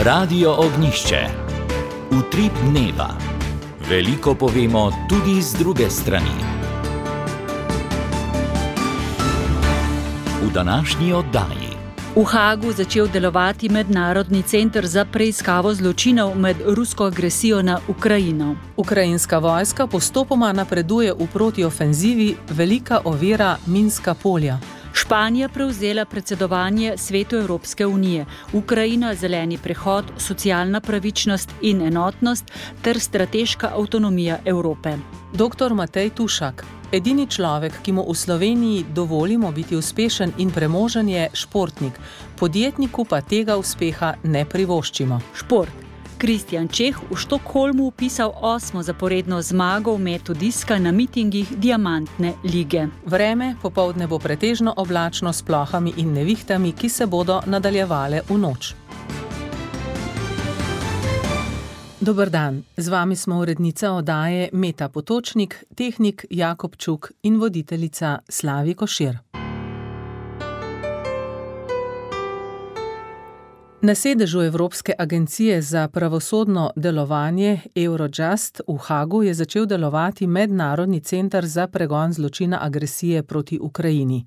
Radio Ognjišče. Utrip dneva. Veliko povemo tudi z druge strani. V današnji oddaji. V Hagu začel delovati Mednarodni center za preiskavo zločinov med rusko agresijo na Ukrajino. Ukrajinska vojska postopoma napreduje v protiofenzivi, velika ovira minska polja. Španija prevzela predsedovanje Svetu Evropske unije. Ukrajina, zeleni prehod, socialna pravičnost in enotnost ter strateška avtonomija Evrope. Dr. Matej Tušak. Edini človek, ki mu v Sloveniji dovolimo biti uspešen in premožen, je športnik. Podjetniku pa tega uspeha ne privoščimo. Šport. Kristjan Čeh v Štokholmu vpisal 8. zaporedno zmago v metu diska na mitingih Diamantne lige. Vreme popoldne bo pretežno oblačno s plohami in nevihtami, ki se bodo nadaljevale v noč. Dober dan, z vami smo urednica oddaje Meta Potočnik, tehnik Jakob Čuk in voditeljica Slavi Košir. Na sedežu Evropske agencije za pravosodno delovanje Eurojust v Hagu je začel delovati Mednarodni center za pregon zločina agresije proti Ukrajini.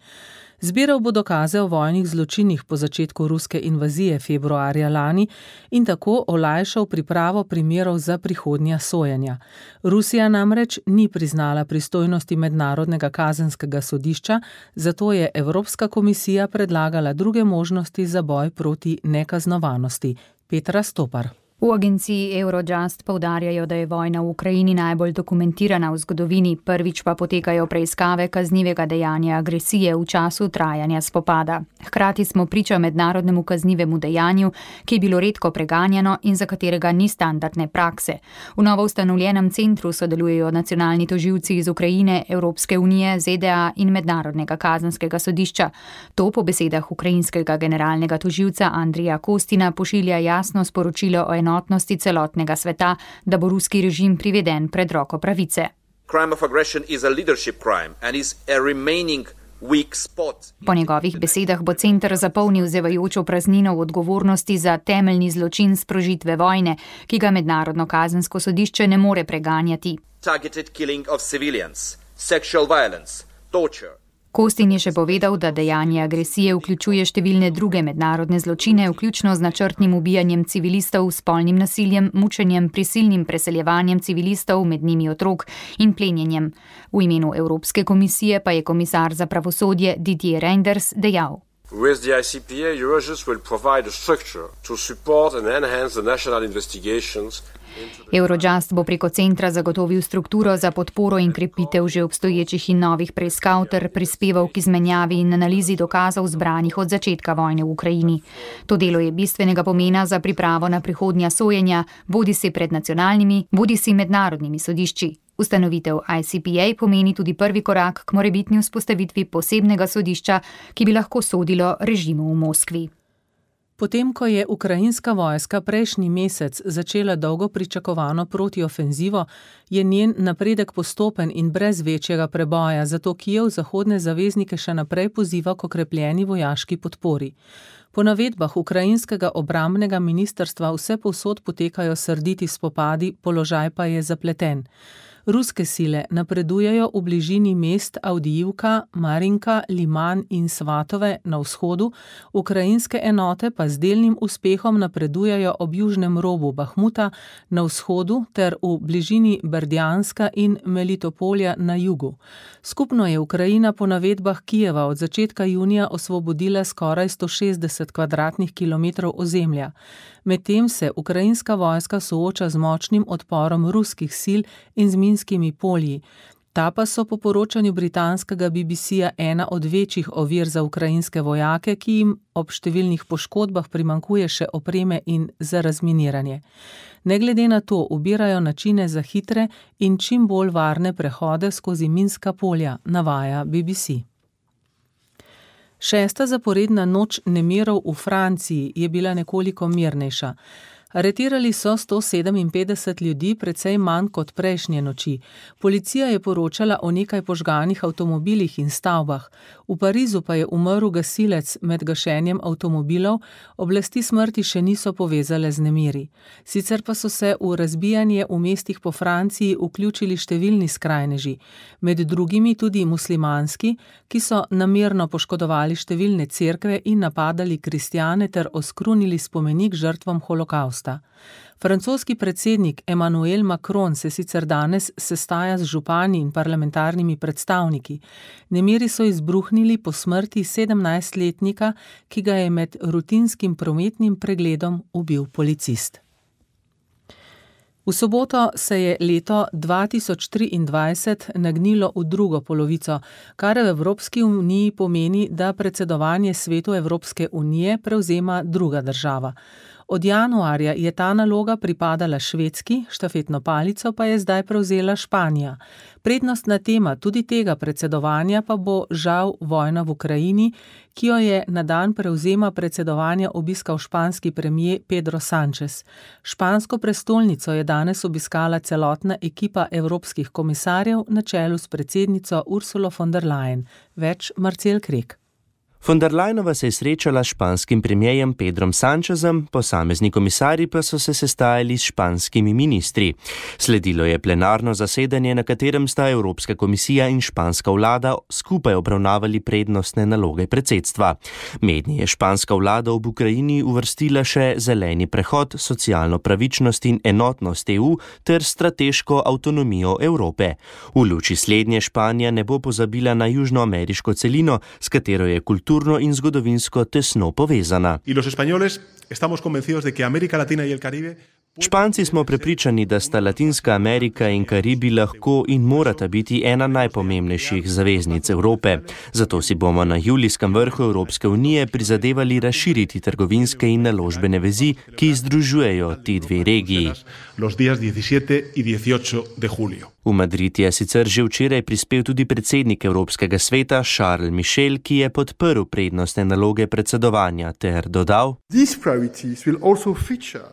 Zbiral bo dokaze o vojnih zločinih po začetku ruske invazije februarja lani in tako olajšal pripravo primerov za prihodnja sojenja. Rusija namreč ni priznala pristojnosti Mednarodnega kazenskega sodišča, zato je Evropska komisija predlagala druge možnosti za boj proti nekaznovanosti. Petra Stopar. V agenciji Eurojust poudarjajo, da je vojna v Ukrajini najbolj dokumentirana v zgodovini, prvič pa potekajo preiskave kaznivega dejanja agresije v času trajanja spopada. Hkrati smo priča mednarodnemu kaznivemu dejanju, ki je bilo redko preganjano in za katerega ni standardne prakse. V novo ustanovljenem centru sodelujejo nacionalni tožilci iz Ukrajine, Evropske unije, ZDA in Mednarodnega kazenskega sodišča. To po besedah ukrajinskega generalnega tožilca Andrija Kostina pošilja jasno sporočilo o enotnosti celotnega sveta, da bo ruski režim priveden pred roko pravice. Po njegovih besedah bo center zapolnil zevajočo praznino v odgovornosti za temeljni zločin sprožitve vojne, ki ga Mednarodno kazensko sodišče ne more preganjati. Kostin je še povedal, da dejanje agresije vključuje številne druge mednarodne zločine, vključno z načrtnim ubijanjem civilistov, spolnim nasiljem, mučenjem, prisilnim preseljevanjem civilistov, med njimi otrok, in plenjenjem. V imenu Evropske komisije pa je komisar za pravosodje Didier Reynders dejal. With the ICPA, Eurojust will provide a structure to support and enhance the national investigations. Eurojust bo preko centra zagotovil strukturo za podporo in krepitev že obstoječih in novih preiskav ter prispeval k izmenjavi in analizi dokazov zbranih od začetka vojne v Ukrajini. To delo je bistvenega pomena za pripravo na prihodnja sojenja, bodisi pred nacionalnimi, bodisi mednarodnimi sodišči. Ustanovitev ICPA pomeni tudi prvi korak k morebitni vzpostavitvi posebnega sodišča, ki bi lahko sodilo režimu v Moskvi. Potem, ko je ukrajinska vojska prejšnji mesec začela dolgo pričakovano protiofenzivo, je njen napredek postopen in brez večjega preboja, zato Kijev zahodne zaveznike še naprej poziva k okrepljeni vojaški podpori. Po navedbah ukrajinskega obrambnega ministrstva vsepovsod potekajo srditi spopadi, položaj pa je zapleten. Ruske sile napredujejo v bližini mest Avdijivka, Marinka, Liman in Svatove na vzhodu, ukrajinske enote pa z delnim uspehom napredujejo ob južnem robu Bahmuta na vzhodu ter v bližini Berdjanska in Melitopolja na jugu. Skupno je Ukrajina po navedbah Kijeva od začetka junija osvobodila skoraj 160 kvadratnih kilometrov ozemlja. Medtem se ukrajinska vojska sooča z močnim odporom ruskih sil in z minskimi polji. Ta pa so po poročanju britanskega BBC-ja ena od večjih ovir za ukrajinske vojake, ki jim ob številnih poškodbah primanjkuje še opreme in za razminiranje. Ne glede na to ubirajo načine za hitre in čim bolj varne prehode skozi minska polja, navaja BBC. 6. zaporedna noč nemirov v Franciji je bila nekoliko mirnejša. Aretirali so 157 ljudi, precej manj kot prejšnje noči. Policija je poročala o nekaj požganih avtomobilih in stavbah. V Parizu pa je umrl gasilec med gašenjem avtomobilov, oblasti smrti še niso povezale z nemiri. Sicer pa so se v razbijanje v mestih po Franciji vključili številni skrajneži, med drugimi tudi muslimanski, ki so namerno poškodovali številne cerkve in napadali kristjane ter oskrunili spomenik žrtvam holokausta. Francoski predsednik Emmanuel Macron se sicer danes sestaja z župani in parlamentarnimi predstavniki. Nemiri so izbruhnili po smrti 17-letnika, ki ga je med rutinskim prometnim pregledom ubil policist. V soboto se je leto 2023 nagnilo v drugo polovico, kar v Evropski uniji pomeni, da predsedovanje Svetu Evropske unije prevzema druga država. Od januarja je ta naloga pripadala Švedski, štafetno palico pa je zdaj prevzela Španija. Prednostna tema tudi tega predsedovanja pa bo žal vojna v Ukrajini, ki jo je na dan prevzema predsedovanja obiskal španski premier Pedro Sánchez. Špansko prestolnico je danes obiskala celotna ekipa evropskih komisarjev na čelu s predsednico Ursulo von der Leyen. Več Marcel Krek. Von der Leyenova se je srečala s španskim premierjem Pedrom Sánchezom, posamezni komisarji pa so se sestajali s španskimi ministri. Sledilo je plenarno zasedanje, na katerem sta Evropska komisija in španska vlada skupaj obravnavali prednostne naloge predsedstva. Mednje je španska vlada ob Ukrajini uvrstila še zeleni prehod, socialno pravičnost in enotnost EU ter strateško avtonomijo Evrope. V luči slednje Španija ne bo pozabila na južnoameriško celino, s katero je kulturno in zgodovinsko tesno povezana. Španci smo prepričani, da sta Latinska Amerika in Karibi lahko in morata biti ena najpomembnejših zaveznic Evrope. Zato si bomo na julijskem vrhu Evropske unije prizadevali razširiti trgovinske in naložbene vezi, ki združujejo ti dve regiji. V Madrid je sicer že včeraj prispel tudi predsednik Evropskega sveta Charles Michel, ki je podprl prednostne naloge predsedovanja ter dodal: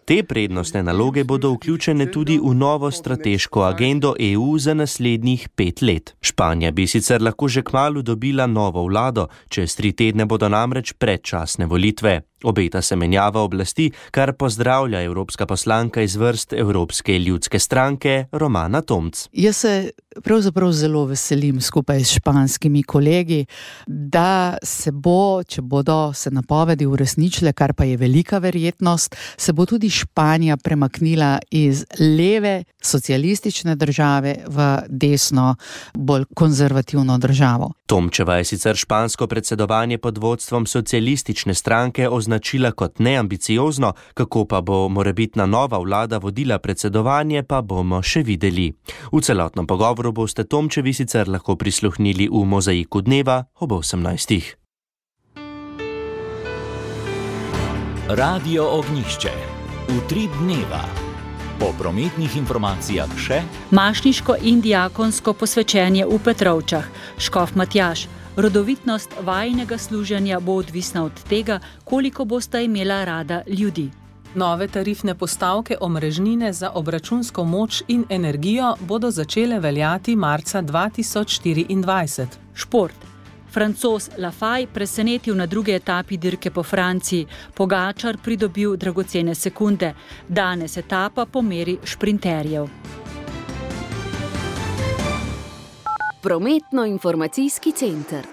Te prednostne naloge bodo vključene tudi v novo strateško agendo EU za naslednjih 5 let. Španija bi sicer lahko že kmalu dobila novo vlado, čez 3 tedne bodo namreč predčasne volitve. Obeta se menjava oblasti, kar pozdravlja evropska poslanka iz vrst Evropske ljudske stranke Romana Tomc. Jaz se pravzaprav zelo veselim skupaj s španskimi kolegi, da se bo, če bodo se napovedi uresničile, kar pa je velika verjetnost, se bo tudi Španija premaknila iz leve socialistične države v desno, bolj konzervativno državo. Tomčeva je sicer špansko predsedovanje pod vodstvom socialistične stranke označila kot neambiciozno, kako pa bo morebitna nova vlada vodila predsedovanje, pa bomo še videli. V celotnem pogovoru boste Tomčevi sicer lahko prisluhnili v Mozaiku dneva ob 18. Radio Ognjišče. Utrip dneva. Po prometnih informacijah še Mašniško in diakonsko posvečenje v Petrovčah. Škof Matjaž. Rodovitnost vajinega služenja bo odvisna od tega, koliko bosta imela rada ljudi. Nove tarifne postavke omrežnine za obračunsko moč in energijo bodo začele veljati marca 2024. Šport. Francoz Lafay presenetil na drugi etapi dirke po Franciji. Pogačar pridobil dragocene sekunde. Danes etapa po meri šprinterjev. Prometno-informacijski center.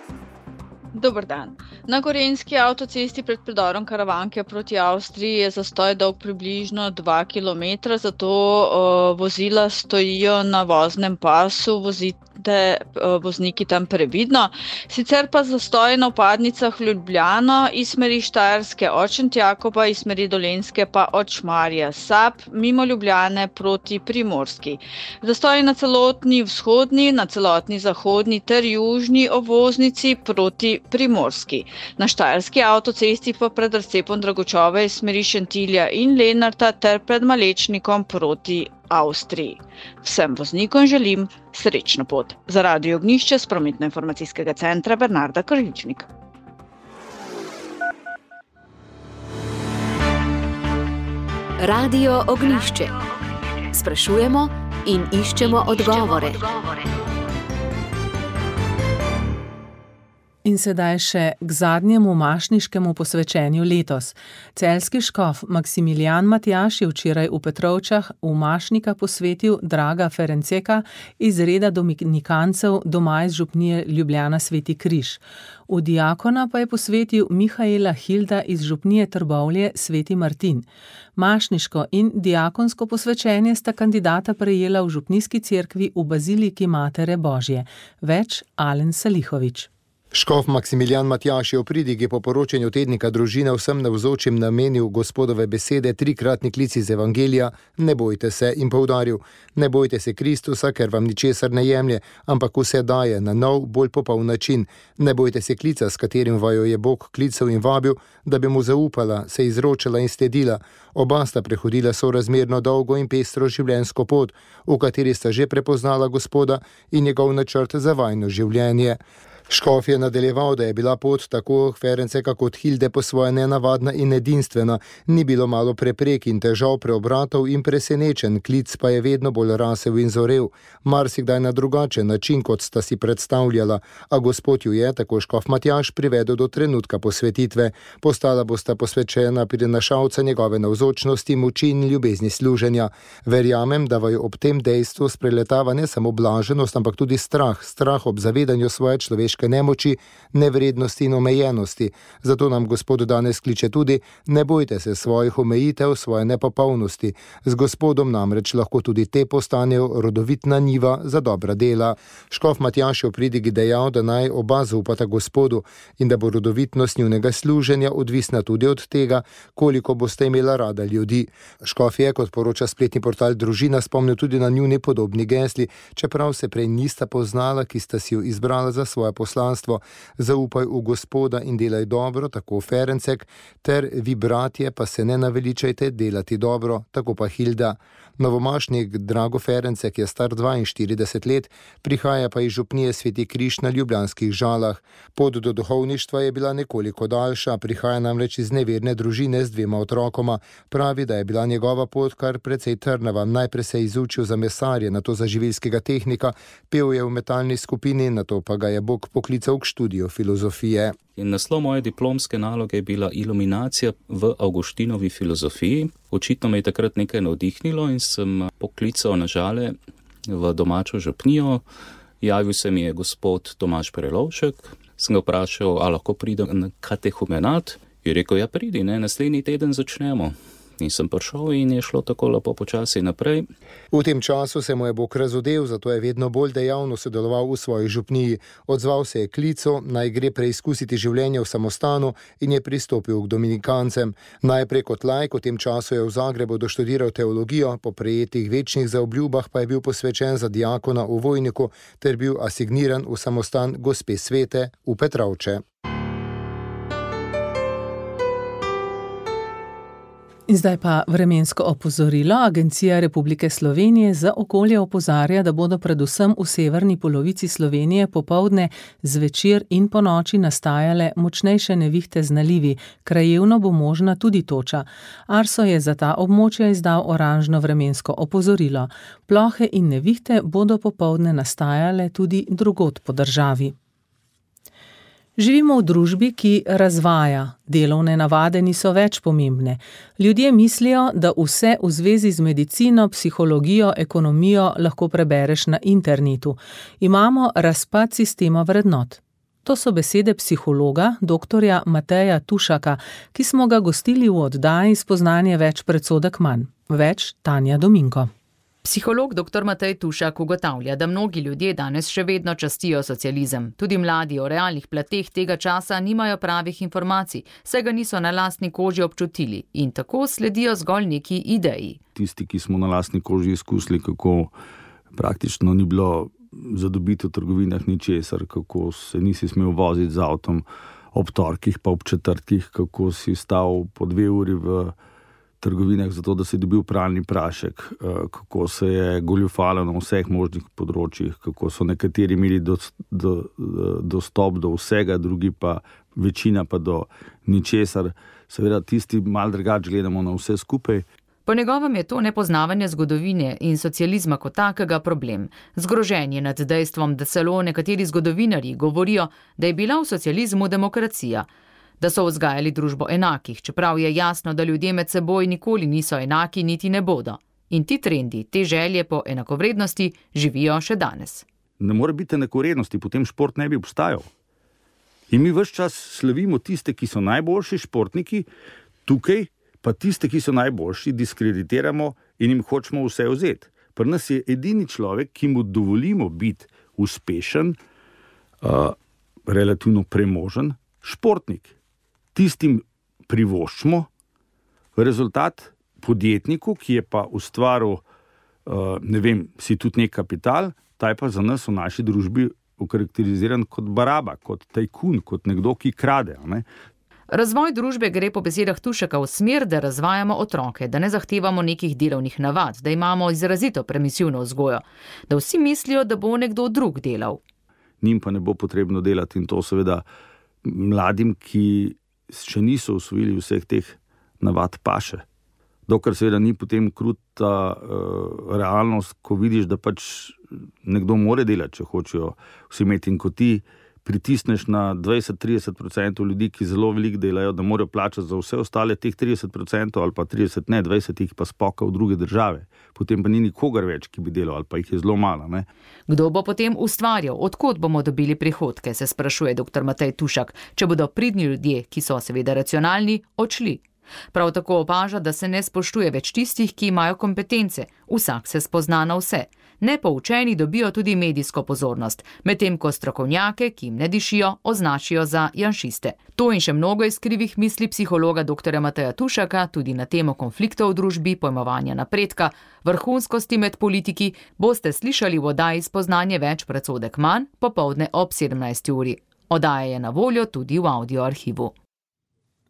Dober dan. Na Gorenjski avtocesti pred predorom Karavanke proti Avstriji je zastoj dolg približno 2 km, zato vozila stojijo na voznem pasu, vozite vozniki tam previdno. Sicer pa zastoj na vpadnicah v Ljubljano iz smeri Štajerske od Šentjakoba, iz smeri Dolenjske pa od Šmarja Sap, mimo Ljubljane proti Primorski. Zastoj na celotni vzhodni, na celotni zahodni ter južni obvoznici proti Primorski. Na Štajerski avtocesti pa pred razcepom Dragočove iz smeri Šentilja in Lenarta ter pred Malečnikom proti Avstriji. Vsem voznikom želim srečno pot. Za Radio Ognjišče s prometno-informacijskega centra Bernarda Kržičnik. Radio Ognjišče. Sprašujemo in iščemo odgovore. In sedaj še k zadnjemu mašniškemu posvečenju letos. Celjski škof Maksimilijan Matjaž je včeraj v Petrovčah v mašnika posvetil Draga Ferenceka iz reda dominikancev doma iz župnije Ljubljana Sveti Križ. V diakona pa je posvetil Mihaela Hilda iz župnije Trbovlje Sveti Martin. Mašniško in diakonsko posvečenje sta kandidata prejela v župnijski cerkvi v Baziliki Matere Božje. Več Alen Salihovič. Škof Maksimilijan Matjaž je v pridigi po poročanju tednika Družina vsem navzočim namenil Gospodove besede, trikratni klic iz Evangelija: ne bojte se, in poudaril: ne bojte se Kristusa, ker vam ničesar ne jemlje, ampak vse daje na nov, bolj popoln način. Ne bojte se klica, s katerim vaju je Bog klical in vabil, da bi mu zaupala, se izročila in sledila. Oba sta prehodila sorazmerno dolgo in pestro življenjsko pot, v kateri sta že prepoznala Gospoda in njegov načrt za vajno življenje. Škof je nadaljeval, da je bila pot tako Ferenceka kot Hilde po svoje nenavadna in edinstvena. Ni bilo malo preprek in težav, preobratov in presenečen, klic pa je vedno bolj rasel in zorel. Marsikdaj na drugačen način, kot sta si predstavljala, a Gospod ju je, tako škof Matjaž, privedel do trenutka posvetitve. Postala bosta posvečena prinašalca njegove navzočnosti, moči in ljubezni služenja. Verjamem, da vaju ob tem dejstvu spreletava ne samo blaženost, ampak tudi strah ob zavedanju svoje človeške nemoči, nevrednosti in omejenosti. Zato nam Gospod danes kliče tudi: ne bojte se svojih omejitev, svoje nepopolnosti. Z Gospodom namreč lahko tudi te postanejo rodovitna njiva za dobra dela. Škof Matjaž je v pridigi dejal, da naj oba zaupata Gospodu in da bo rodovitnost njunega služenja odvisna tudi od tega, koliko boste imela rada ljudi. Škof je, kot poroča spletni portal Družina, spomnil tudi na njuni podobni gesli, čeprav se prej nista poznala, ki sta si jo izbrala za svoje poslanstvo: zaupaj v Gospoda in delaj dobro, tako Ferencek, ter vi, bratje, pa se ne naveličajte delati dobro, tako pa Hilda. Novomašnik Drago Ferencek je star 42 let, prihaja pa iz župnije Sveti Križ na Ljubljanskih Žalah. Pot do duhovništva je bila nekoliko daljša, prihaja namreč iz neverne družine z 2 otrokoma. Pravi, da je bila njegova pot kar precej trnava. Najprej se je izučil za mesarje, nato za živilskega tehnika, pel je v metalni skupini, nato pa ga je Bog poklical k študiju filozofije. In naslov moje diplomske naloge je bila Iluminacija v Avguštinovi filozofiji. Očitno me je takrat nekaj navdihnilo in sem poklical na Žale v domačo župnijo. Javil se mi je gospod Tomaž Prelovšek. Sem ga vprašal, a lahko pridem na katehumenat. Je rekel, ja pridi, naslednji teden začnemo. In sem prišel in je šlo tako lepo počasi naprej. V tem času se mu je Bog razodel, zato je vedno bolj dejavno sodeloval v svoji župniji. Odzval se je klicu, naj gre preizkusiti življenje v samostanu, in je pristopil k dominikancem. Najprej kot laik, v tem času je v Zagrebu doštudiral teologijo, po prejetih večnih zaobljubah pa je bil posvečen za diakona v Vojniku ter bil asigniran v samostan Gospe Svete v Petrovče. In zdaj pa vremensko opozorilo. Agencija Republike Slovenije za okolje opozarja, da bodo predvsem v severni polovici Slovenije popoldne, zvečer in ponoči nastajale močnejše nevihte z nalivi. Krajevno bo možna tudi toča. Arso je za ta območja izdal oranžno vremensko opozorilo. Plohe in nevihte bodo popoldne nastajale tudi drugod po državi. Živimo v družbi, ki razvaja. Delovne navade niso več pomembne. Ljudje mislijo, da vse v zvezi z medicino, psihologijo, ekonomijo lahko prebereš na internetu. Imamo razpad sistema vrednot. To so besede psihologa, doktorja Mateja Tušaka, ki smo ga gostili v oddaji Spoznanje več, predsodek manj. Več Tanja Dominko. Psiholog dr. Matej Tušak ugotavlja, da mnogi ljudje danes še vedno častijo socializem. Tudi mladi o realnih plateh tega časa nimajo pravih informacij, saj ga niso na lastni koži občutili in tako sledijo zgolj neki ideji. Tisti, ki smo na lastni koži izkusili, kako praktično ni bilo zadobiti v trgovinah ničesar, kako se nisi smel voziti z avtom ob torkih pa ob četrtkih, kako si stal po 2 uri v trgovinah zato, da si dobil pralni prašek, kako se je goljufalo na vseh možnih področjih, kako so nekateri imeli dostop do vsega, drugi pa večina pa do ničesar. Seveda tisti malo drugače gledamo na vse skupaj. Po njegovem je to nepoznavanje zgodovine in socializma kot takega problem. Zgroženje nad dejstvom, da celo nekateri zgodovinarji govorijo, da je bila v socializmu demokracija, da so vzgajali družbo enakih, čeprav je jasno, da ljudje med seboj nikoli niso enaki niti ne bodo. In ti trendi, te želje po enakovrednosti živijo še danes. Ne more biti enakovrednosti, potem šport ne bi obstajal. In mi ves čas slavimo tiste, ki so najboljši športniki, tukaj pa tiste, ki so najboljši, diskreditiramo in jim hočemo vse vzeti. Pri nas je edini človek, ki mu dovolimo biti uspešen, relativno premožen, športnik. Tistim privoščimo rezultat podjetniku, ki je pa ustvaril, si tudi nek kapital, ta je pa za nas v naši družbi okarakteriziran kot baraba, kot tajkun, kot nekdo, ki krade. Ne? Razvoj družbe gre po besedah Tušaka v smer, da razvajamo otroke, da ne zahtevamo nekih delovnih navad, da imamo izrazito permisivno vzgojo, da vsi mislijo, da bo nekdo drug delal. Njim pa ne bo potrebno delati in to seveda mladim, ki še niso usvojili vseh teh navad paše. Dokler seveda ni potem kruta realnost, ko vidiš, da pač nekdo more delati, če hočejo vsi imeti, in ko ti pritisneš na 20-30% ljudi, ki zelo veliko delajo, da morajo plačati za vse ostale teh 30% ali pa 30, ne 20 jih pa spoka v druge države. Potem pa ni nikogar več, ki bi delal, ali pa jih je zelo malo. Ne? Kdo bo potem ustvarjal? Odkot bomo dobili prihodke, se sprašuje dr. Matej Tušak, če bodo pridni ljudje, ki so seveda racionalni, odšli. Prav tako opaža, da se ne spoštuje več tistih, ki imajo kompetence. Vsak se spozna na vse. Nepoučeni dobijo tudi medijsko pozornost, medtem ko strokovnjake, ki jim ne dišijo, označijo za janšiste. To in še mnogo iz krivih misli psihologa dr. Mateja Tušaka, tudi na temo konfliktov v družbi, pojmovanja napredka, vrhunskosti med politiki, boste slišali v oddaji Spoznanje več, predsodek manj, popoldne ob 17. uri. Oddaja je na voljo tudi v audio arhivu.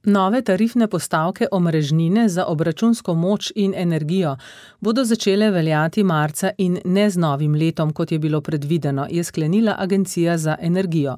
Nove tarifne postavke omrežnine za obračunsko moč in energijo bodo začele veljati marca in ne z novim letom, kot je bilo predvideno, je sklenila Agencija za energijo.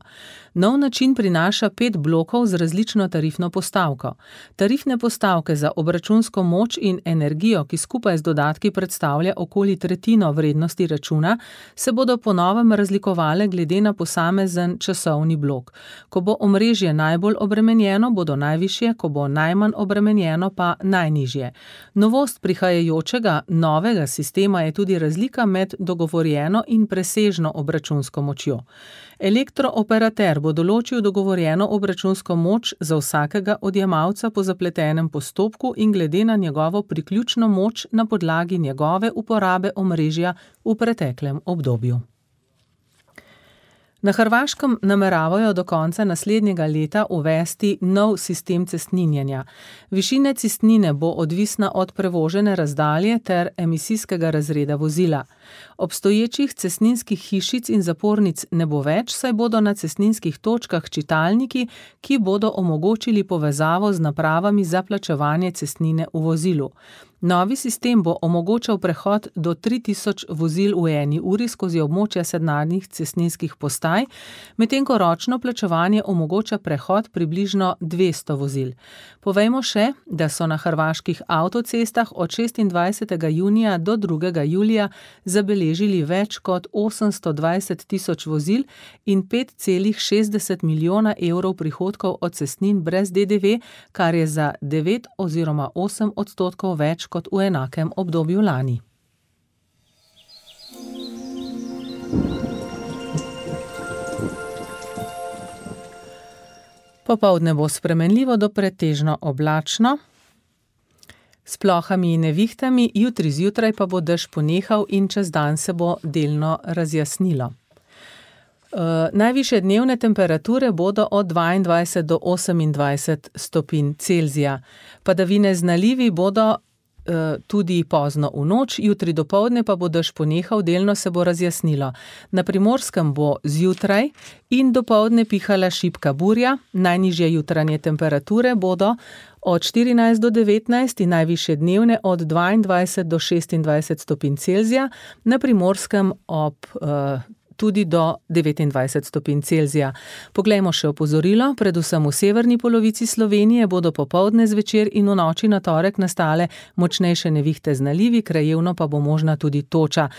Nov način prinaša 5 blokov z različno tarifno postavko. Tarifne postavke za obračunsko moč in energijo, ki skupaj z dodatki predstavlja okoli tretjino vrednosti računa, se bodo po novem razlikovale glede na posamezen časovni blok. Ko bo omrežje najbolj obremenjeno, bodo najvišje, ko bo najmanj obremenjeno, pa najnižje. Novost prihajajočega novega sistema je tudi razlika med dogovorjeno in presežno obračunsko močjo. Elektrooperater bo določil dogovorjeno obračunsko moč za vsakega odjemalca po zapletenem postopku in glede na njegovo priključno moč na podlagi njegove uporabe omrežja v preteklem obdobju. Na Hrvaškem nameravajo do konca naslednjega leta uvesti nov sistem cestninjenja. Višina cestnine bo odvisna od prevožene razdalje ter emisijskega razreda vozila. Obstoječih cestninskih hišic in zapornic ne bo več, saj bodo na cestninskih točkah čitalniki, ki bodo omogočili povezavo z napravami za plačevanje cestnine v vozilu. Novi sistem bo omogočal prehod do 3000 vozil v eni uri skozi območja sedajnih cestninskih postaj, medtem ko ročno plačevanje omogoča prehod približno 200 vozil. Povejmo še, da so na hrvaških avtocestah od 26. junija do 2. julija zabeležili več kot 820 000 vozil in 5,60 milijona evrov prihodkov od cestnin brez DDV, kar je za 9 oziroma 8% več kot v enakem obdobju lani. Popoldne bo spremenljivo do pretežno oblačno, s plohami in nevihtami, jutri zjutraj pa bo dež ponehal in čez dan se bo delno razjasnilo. Najvišje dnevne temperature bodo od 22 do 28 stopinj Celzija. Padavine z nalivi bodo tudi pozno v noč, jutri dopoldne pa bo dež ponehal, delno se bo razjasnilo. Na Primorskem bo zjutraj in dopoldne pihala šibka burja, najnižje jutranje temperature bodo od 14 do 19 in najvišje dnevne od 22 do 26 stopinj Celzija, na Primorskem ob tudi do 29 stopinj Celzija. Poglejmo še opozorilo, predvsem v severni polovici Slovenije bodo popoldne, zvečer in v noči na torek nastale močnejše nevihte z nalivi, krajevno pa bo možna tudi toča.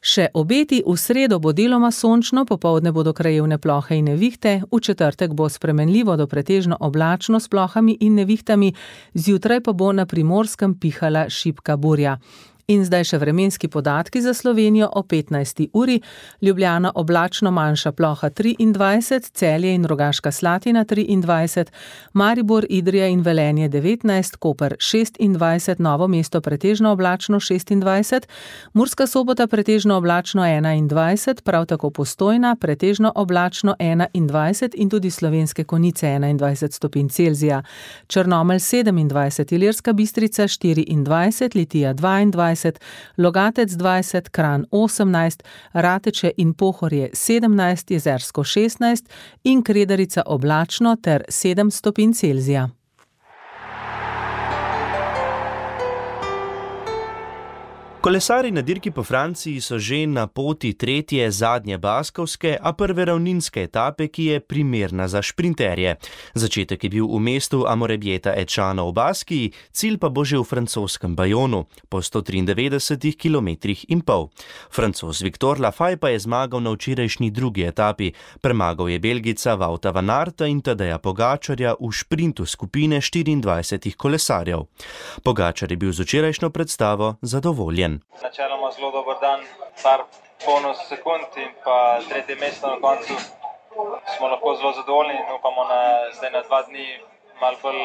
Še obeti, v sredo bo deloma sončno, popoldne bodo krajevne plohe in nevihte, v četrtek bo spremenljivo do pretežno oblačno s plohami in nevihtami, zjutraj pa bo na Primorskem pihala šibka burja. In zdaj še vremenski podatki za Slovenijo o 15. uri. Ljubljana oblačno, manjša ploha 23, Celje in Rogaška Slatina 23, Maribor, Idrija in Velenje 19, Koper 26, Novo mesto pretežno oblačno 26, Murska Sobota pretežno oblačno 21, prav tako Postojna pretežno oblačno 21 in tudi Slovenske Konjice 21 stopinj Celzija. Črnomelj 27, Ilirska Bistrica 24, Litija 22, Logatec 20, Kranj 18, Rateče in Pohorje 17, Jezersko 16 in Kredarica oblačno ter 7 stopinj Celzija. Kolesarji na dirki po Franciji so že na poti tretje zadnje baskovske, a prve ravninske etape, ki je primerna za šprinterje. Začetek je bil v mestu Amorebieta-et-Chano v Baskiji, cilj pa bo že v francoskem Bayonu, po 193 km in pol. Francoz Victor Lafay pa je zmagal na včerajšnji drugi etapi. Premagal je Belgica Wouta van Aerta in Tadeja Pogačarja v šprintu skupine 24 kolesarjev. Pogačar je bil z včerajšnjo predstavo zadovoljen. Načeloma zelo dober dan, par bonus sekund in pa tretje mesto na koncu. Smo lahko zelo zadovoljni in upamo zdaj na 2 dni malo bolj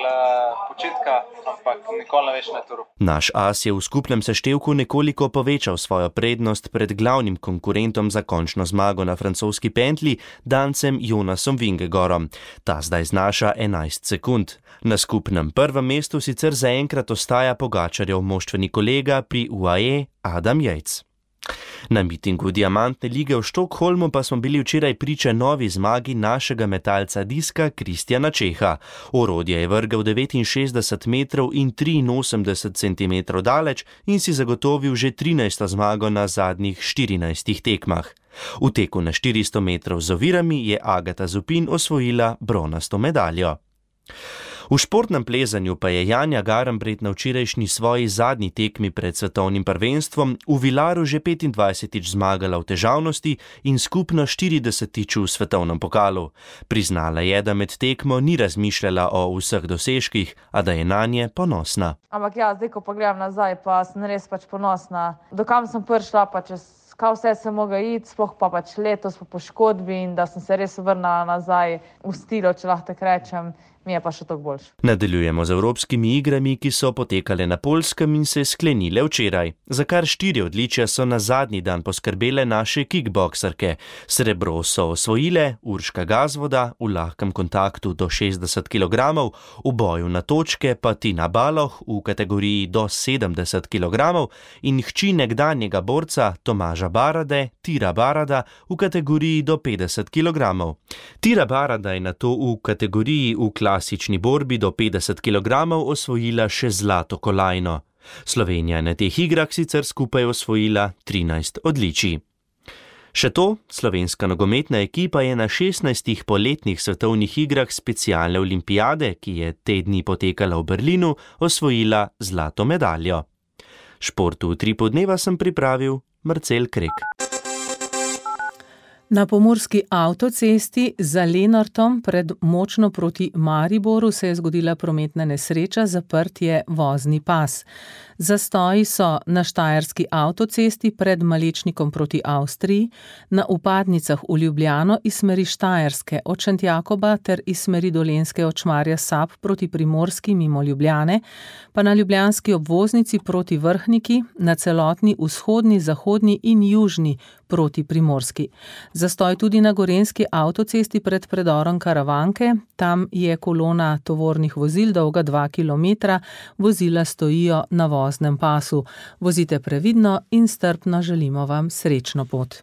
počitka, ampak nikoli ne veš na turu. Naš as je v skupnem seštevku nekoliko povečal svojo prednost pred glavnim konkurentom za končno zmago na francoski pentli, Dancem Jonasom Vingegaardom. Ta zdaj znaša 11 sekund. Na skupnem prvem mestu sicer zaenkrat ostaja Pogačarjev moštveni kolega pri UAE Adam Yates. Na mitingu Diamantne lige v Štokholmu pa smo bili včeraj priče novi zmagi našega metalca diska Kristjana Čeha. Orodje je vrgel 69 metrov in 83 centimetrov daleč in si zagotovil že 13. zmago na zadnjih 14 tekmah. V teku na 400 metrov z ovirami je Agata Zupin osvojila bronasto medaljo. V športnem plezanju pa je Janja Garnbret na včerajšnji svoji zadnji tekmi pred svetovnim prvenstvom v Vilaru že 25-tič zmagala v težavnosti in skupno 40-tič v svetovnem pokalu. Priznala je, da med tekmo ni razmišljala o vseh dosežkih, a da je nanje ponosna. Ampak ja, zdaj ko pa gledam nazaj, pa sem res ponosna. Dokam sem prišla, pa čez kaj vse sem mogla iti, sploh pa letos po poškodbi in da sem se res vrnila nazaj v stilo, če lahko tako rečem. Mi je pa še toliko boljše. Nadaljujemo z evropskimi igrami, ki so potekale na Poljskem in se sklenile včeraj. Za kar 4 odličja so na zadnji dan poskrbele naše kickboksarke. Srebro so osvojile Urška Gazvoda v lahkem kontaktu do 60 kg, v boju na točke pa Tina Baloh v kategoriji do 70 kg in hči nekdanjega borca Tomaža Barade, Tira Barada, v kategoriji do 50 kg. Tira Barada je nato v kategoriji v klasični borbi do 50 kg osvojila še zlato kolajno. Slovenija na teh igrah sicer skupaj osvojila 13 odličij. Še to, slovenska nogometna ekipa je na 16 poletnih svetovnih igrah specialne olimpijade, ki je te dni potekala v Berlinu, osvojila zlato medaljo. Športu v Tripu dneva sem pripravil Marcel Krek. Na pomurski avtocesti za Lenartom pred Močno proti Mariboru se je zgodila prometna nesreča, zaprt je vozni pas. Zastoji so na štajerski avtocesti pred Malečnikom proti Avstriji, na vpadnicah v Ljubljano iz smeri Štajerske od Šentjakoba ter iz smeri Dolenjske od Šmarja Sap proti Primorski mimo Ljubljane, pa na ljubljanski obvoznici proti Vrhniki, na celotni vzhodni, zahodni in južni proti Primorski. Zastoj tudi na gorenjski avtocesti pred predorom Karavanke, tam je kolona tovornih vozil dolga 2 km, vozila stojijo na voznem pasu. Vozite previdno in strpno, želimo vam srečno pot.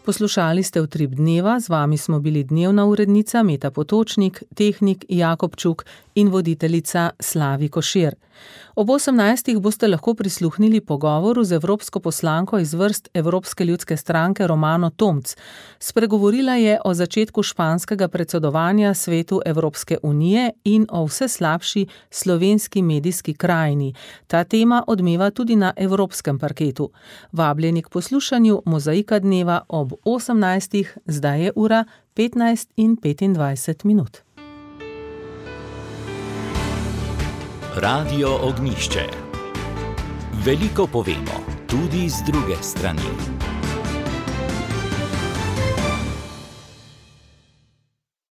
Poslušali ste Utrip dneva, z vami smo bili dnevna urednica Meta Potočnik, tehnik Jakob Čuk in voditeljica Slavi Košir. Ob 18. boste lahko prisluhnili pogovoru z evropsko poslanko iz vrst Evropske ljudske stranke Romano Tomc. Spregovorila je o začetku španskega predsedovanja Svetu Evropske unije in o vse slabši slovenski medijski krajini. Ta tema odmeva tudi na evropskem parketu. Vabljeni k poslušanju Mozaika dneva ob 18. Zdaj je ura 15:25. Radio Ognjišče. Veliko povemo, tudi z druge strani.